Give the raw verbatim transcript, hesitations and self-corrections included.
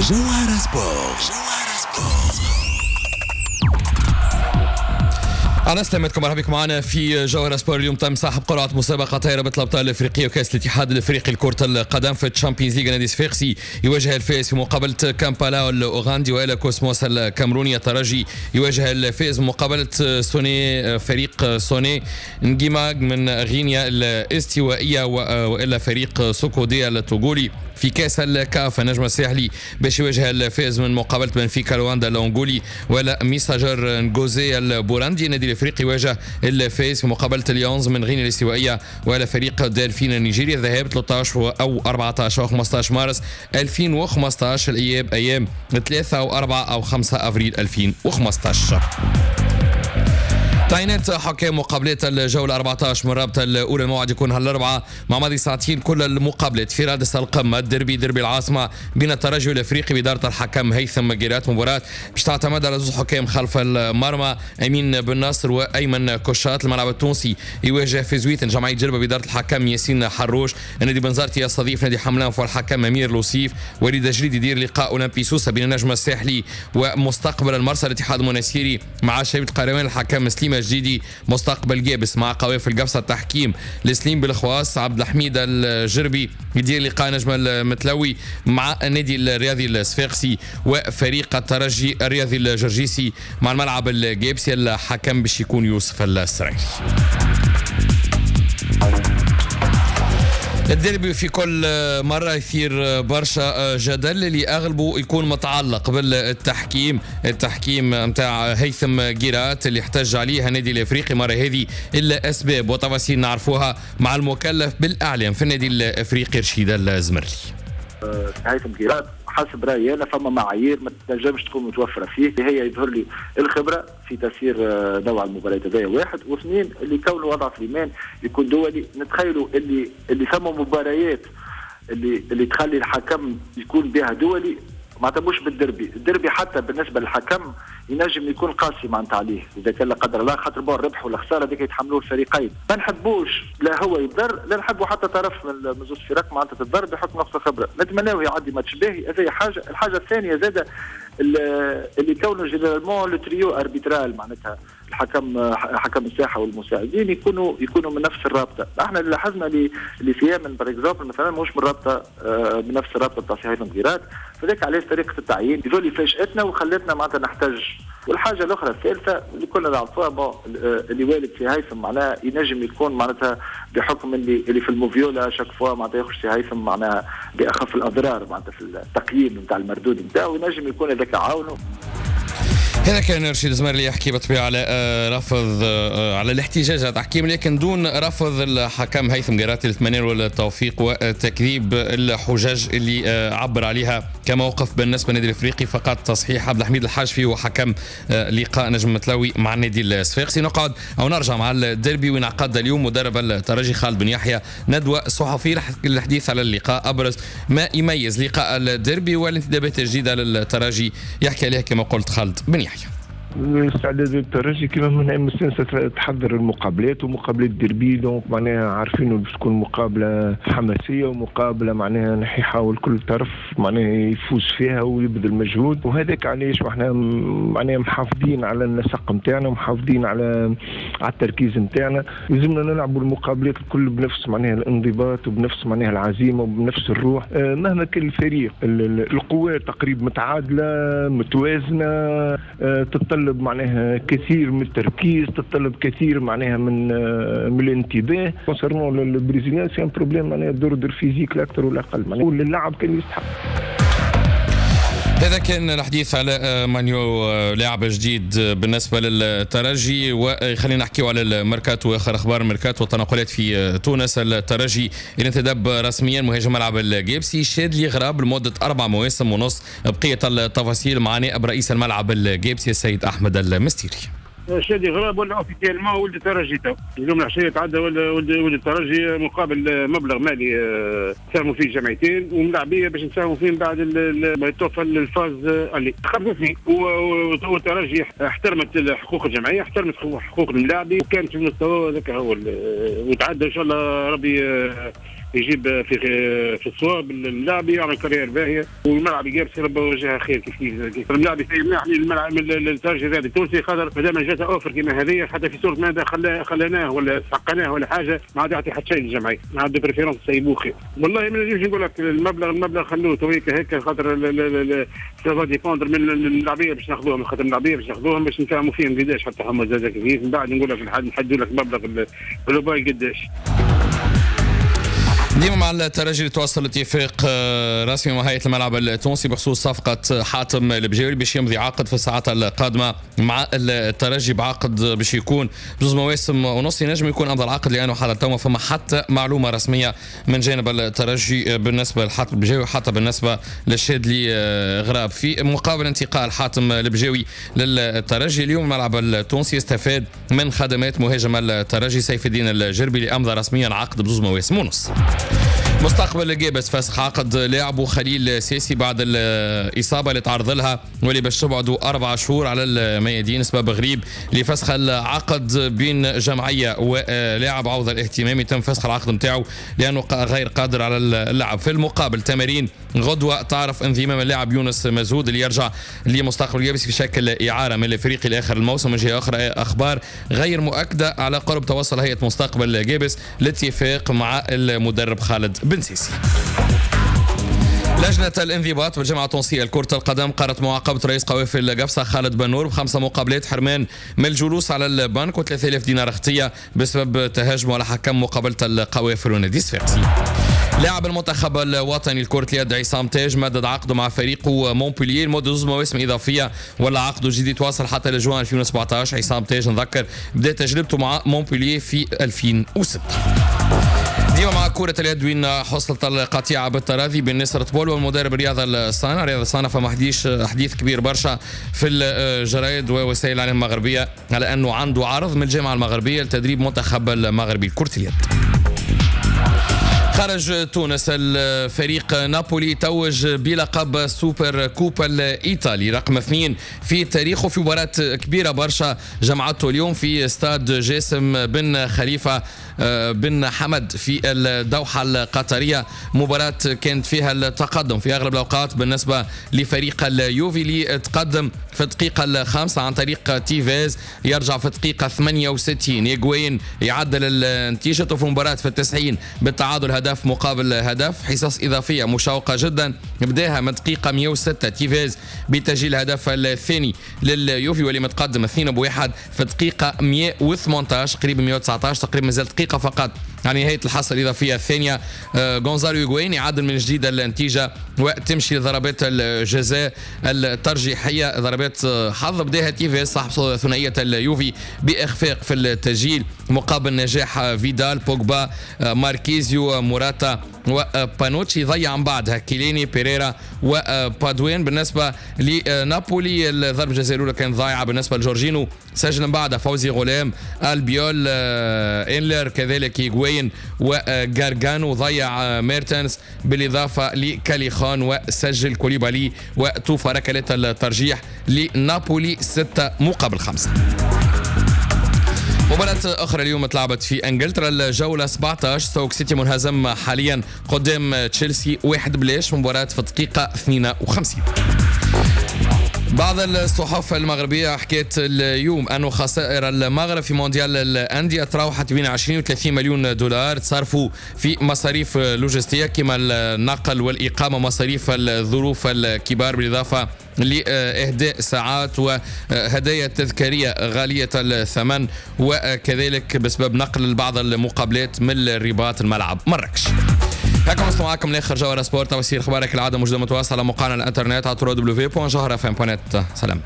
جوهرة سبور. جوهرة سبور. على سلامتكم، مرحبا بكم معنا في جوهرة سبور. اليوم تم سحب قرعة مسابقة رابطة الأبطال الأفريقية وكأس الاتحاد الأفريقي لكرة القدم في ال Champions League. نادي صفاقسي يواجه الفائز في مقابلة كامبالا الأوغندي وإلى كوسموس الكاميروني. الترجي يواجه الفائز مقابلة سوني فريق سوني نجيماغ من غينيا الاستوائية وإلى فريق سوكوديا التوغولي. في كاس الكاف النجم الساحلي باش يواجه الفائز من مقابله بنفيكا لواندا الانغولي ولا ميساجر نغوزي البوراندي. النادي الافريقي يواجه الفائز في مقابله اليونز من غينيا الاستوائيه ولا فريق دلفين النيجيري. الذهاب ثلاثة عشر او أربعة عشر او خمسة عشر مارس ألفين وخمسة عشر، الاياب ايام ثلاثة او أربعة او خمسة افريل ألفين وخمسة عشر. تعيينات حكام مقابلات الجولة أربعة عشر من الرابطة الأولى، الموعد يكون هالأربعة مع ماضي ساعتين كل المقابلات. في رادس القمة الديربي ديربي العاصمة بين الترجي والأفريقي بإدارة الحكم هيثم جيرات، مباراة باش تعتمد على زوج حكام خلف المرمى أمين بن ناصر وأيمن كوشات. الملعب التونسي يواجه في زويتن جمعية جربة بإدارة الحكم ياسين حروش. النادي بنزرتي يستضيف نادي حملان والحكم أمير لوصيف. وليد جريد يدير لقاء أولمبي سوسة بين النجم الساحلي ومستقبل المرسى. الاتحاد المناسيري مع شبيبة القروان الحكم سليم جديدي. مستقبل جابس مع قوافل قفصة التحكيم لسليم بالخواص. عبد الحميد الجربي يدير لقاء نجم المتلوي مع النادي الرياضي الصفاقسي وفريق الترجي الرياضي الجرجيسي مع الملعب الجابسي. الحكم باش يكون يوسف السرايري. الديربي في كل مرة يثير برشا جدل اللي أغلبه يكون متعلق بالتحكيم، التحكيم نتاع هيثم جيرات اللي احتج عليها النادي الافريقي مرة هذه إلا أسباب وتفاصيل نعرفوها مع المكلف بالإعلام في النادي الافريقي رشيد الزمرلي. هيثم جيرات حسب رايي انا فما معايير ما تنجمش تكون متوفرة فيه، هي يظهر لي الخبرة في تسيير نوع المباريات هذايا واحد، واثنين اللي كونه وضع سليمان يكون دولي. نتخيلوا اللي اللي ثم مباريات اللي اللي تخلي الحكم يكون بها دولي، معناتها مش بالدربي، الدربي حتى بالنسبة للحكم ينجم يكون قاسي معناتها عليه اذا كان لا قدر الله، خاطر bon الربح ولا الخسارة هذيك يتحملوه الفريقين. ما نحبوش لا هو يضر لا نحبوا حتى طرف من زوج فرق معناتها تضر بحكم نقص الخبرة. نتمناو يعدي ماتش باهي، هذه حاجة. الحاجة الثانية زاده اللي كونه généralement le trio arbitral معناتها الحكم حكم الساحة والمساعدين يكونوا يكونوا من نفس الرابطة. احنا اللي لاحظنا اللي اللي سيامن par exemple مثلا مش من الرابطة من نفس الرابطة تاع هيثم غيرات، فذاك علاش طريقه التعيين هذول فاجاتنا وخلتنا معناتها نحتج. والحاجة الاخرى الثالثة اللي كنا نعرفوها bon اللي والد في هيثم معناها ينجم يكون معناتها بحكم اللي اللي في الموفيولا chaque fois معناتها يخرج في هيثم معناها باخف الاضرار معناتها في التقييم نتاع المردود نتاعو، ينجم يكون هذاك عاونه. هذا كان رشيد الزمرلي يحكي بالطبيعة على رفض على الاحتجاج على التحكيم، لكن دون رفض الحكم هيثم جيراتي للتمني والتوفيق وتكذيب الحجج اللي عبر عليها كموقف بالنسبة للنادي الافريقي. فقط تصحيح عبد الحميد الحاجفي وحكم لقاء نجم متلوي مع النادي الصفاقسي. نقعد او نرجع مع الديربي وين عقد اليوم مدرب الترجي خالد بن يحيى ندوه صحفية للحديث على اللقاء، ابرز ما يميز لقاء الديربي والانتدابات الجديدة للترجي يحكي عليها كما قلت خالد بن يحيى. استعداد الترجي كما من مستانسه تحضر المقابلات ومقابلات derby، donc معناها عارفين باش تكون مقابله حماسية ومقابله معناها يحاول كل طرف معناها يفوز فيها ويبذل مجهود، وهذاك علاش احنا معناها محافظين على النسق نتاعنا ومحافظين على على التركيز نتاعنا. لازمنا نلعبوا المقابلات الكل بنفس معناها الانضباط وبنفس معناها العزيمة وبنفس الروح، مهما كان الفريق. القوات تقريبا متعادله متوازنة، تتطلب معناها كثير من التركيز، تتطلب كثير معناها من من الانتباه. concernant ال brésilien c'est un problème معناها d'ordre physique لا اكثر ولا اقل، معناها اللاعب كان يستحق. هذا كان الحديث على مانيو لاعب جديد بالنسبة للترجي. وخلينا نحكيو على الميركاتو واخر اخبار الميركاتو والتنقلات في تونس. الترجي اللي انتدب رسميا مهاجم ملعب الجابسي شادلي غراب لمدة اربع مواسم ونص. بقية التفاصيل مع نائب رئيس الملعب الجابسي السيد احمد المستيري. شادي غراب ولا officiellement ولد الترجي تو اليوم العشية تعدى ولد ولد الترجي مقابل مبلغ مالي ساهموا فيه جمعيتين وملاعبيه باش نساهموا فيه بعد ما يتوفى ال phase aller خمسة سنين. والترجي احترمت حقوق الجمعية، احترمت حقوق الملاعبي وكانت في المستوى هذاك هو وتعدى ان شاء الله ربي يجيب في في الصواب اللاعب يعمل carrière باهيه، والملعب قابس ربما وجهها خير. كيف كيف الملاعب يسيبناه الملعب الترجي الرياضي التونسي، خاطر مادام جات offre كيما هذه حتى في صوره ماذا خليناه ولا سحقناه ولا حاجة ما عاد يعطي حتى شيء للجمعية، ما عاد préférence سيبوه خير. والله ما نجمش نقول لك المبلغ المبلغ خلوه تويك هيك، خاطر ça va dépendre من اللاعبيه باش ناخذوهم، خاطر اللاعبيه باش ناخذوهم باش نفهموا فيهم قداش حتى هما زاد كيف، من بعد نقول لك نحدوا لك مبلغ global قداش. ديما مع الترجي اللي توصل اتفاق رسمي مع هيئة الملعب التونسي بخصوص صفقة حاتم البجاوي باش يمضي عقد في الساعات القادمة مع الترجي، بعقد باش يكون بزوز مواسم ونص، ينجم يكون افضل عقد لانه حتى تو ما فما حتى معلومة رسمية من جانب الترجي بالنسبة لحاتم البجاوي وحتى بالنسبة للشادلي غراب. في مقابل انتقال حاتم البجاوي للترجي اليوم الملعب التونسي استفاد من خدمات مهاجم الترجي سيف الدين الجربي اللي امضى رسميا عقد بزوز مواسم ونص. مستقبل قابس فسخ عقد لاعبه خليل سيسي بعد الإصابة اللي تعرض لها واللي باش تبعدوا أربع شهور على الميادين، سبب غريب لفسخ العقد بين جمعية ولاعب عوض الاهتمام، تم فسخ العقد نتاعو لأنه غير قادر على اللعب. في المقابل تمارين غدوة تعرف انضمام اللاعب يونس مزهود اللي يرجع لمستقبل قابس في شكل إعارة من الفريق الآخر الموسم. من جهة أخرى أخبار غير مؤكدة على قرب توصل هيئة مستقبل قابس لاتفاق مع المدرب خالد بن سيسي. لجنة الانضباط بالجامعة التونسية لكرة القدم قررت معاقبة رئيس قوافل قفصة خالد بنور بخمسة مقابلات حرمان من الجلوس على البنك وثلاثة آلاف دينار خطية بسبب تهاجمه على حكم مقابلة القوافل ونادي صفاقسي. لاعب المنتخب الوطني لكرة اليد عصام تاج مدد عقده مع فريقه مونبولييه لمدة زوج مواسم إضافية ولا عقده الجديد يتواصل حتى لجوان ألفين وسبعة عشر. عصام تاج نذكر بدأ تجربته مع مونبولييه في ألفين وستة. ديما مع كرة اليد وين حصلت القطيعة بالتراضي بين نصر طبول والمدرب رياض الصانع. رياض الصانع فما حديث حديث كبير برشا في الجرايد ووسائل الإعلام المغربية على أنه عنده عرض من الجامعة المغربية لتدريب منتخب المغربي لكرة اليد. خرج تونس الفريق نابولي توج بلقب super coupe الإيطالي رقم اثنين في تاريخه في مباراة كبيرة برشا جمعته اليوم في استاد جاسم بن خليفة بن حمد في الدوحة القطرية. مباراة كانت فيها التقدم في أغلب الأوقات بالنسبة لفريق اليوفي اللي تقدم في الدقيقة الخامسة عن طريق تيفيز، يرجع في الدقيقة ثمانية وستين يجوين يعدل النتيجة في المباراة في التسعين بالتعادل هدف مقابل هدف. حصص إضافية مشوقة جدا بداها من دقيقة مئة وستة تيفيز بتسجيل الهدف الثاني لليوفي واللي متقدم اثنين بواحد في دقيقة مئة وثمانية عشر قريب مئة وتسعة عشر تقريبا، مازال دقيقة فقط على نهاية الحصة الإضافية الثانية. غونزالو يغوين يعدل من جديد النتيجة وتمشي لضربات الجزاء الترجيحية، ضربات حظ بداها تيفيز صاحب ثنائية اليوفي بإخفاق في التسجيل مقابل نجاح فيدال بوجبا ماركيزيو موراتا وبانوتشي. ضيع من بعدها كيليني بيريرا وبادوين. بالنسبة لنابولي الضربة الجزاء الأولى كانت ضايعة بالنسبة لجورجينو، سجل من بعدها فوزي غلام البيول إنلر كذلك يغوين وغارغانو، ضيع ميرتنس بالإضافة لكاليخان وسجل كوليبالي وتوفى ركلات الترجيح لنابولي ستة مقابل خمسة. مباراة أخرى اليوم تلعبت في إنجلترا الجولة سبعة عشر، ستوك سيتي منهزم حاليا قدام تشيلسي واحد بلاش، مباراة في الدقيقة اثنين وخمسين. بعض الصحف المغربية حكيت اليوم أنه خسائر المغرب في مونديال الأندية تراوحت بين عشرين و ثلاثين مليون دولار تصرفوا في مصاريف لوجستية كما النقل والإقامة، مصاريف الظروف الكبار، بالإضافة لإهداء ساعات وهدايا تذكارية غالية الثمن، وكذلك بسبب نقل بعض المقابلات من الرباط الملعب مراكش. هكا وصلنا معاكم لاخر جوهرة سبورت. توصيل اخبارك العادة موجودة متواصلة على موقعنا الانترنت على دبليو دبليو دبليو دوت جوهرة اف ام دوت نت. سلام.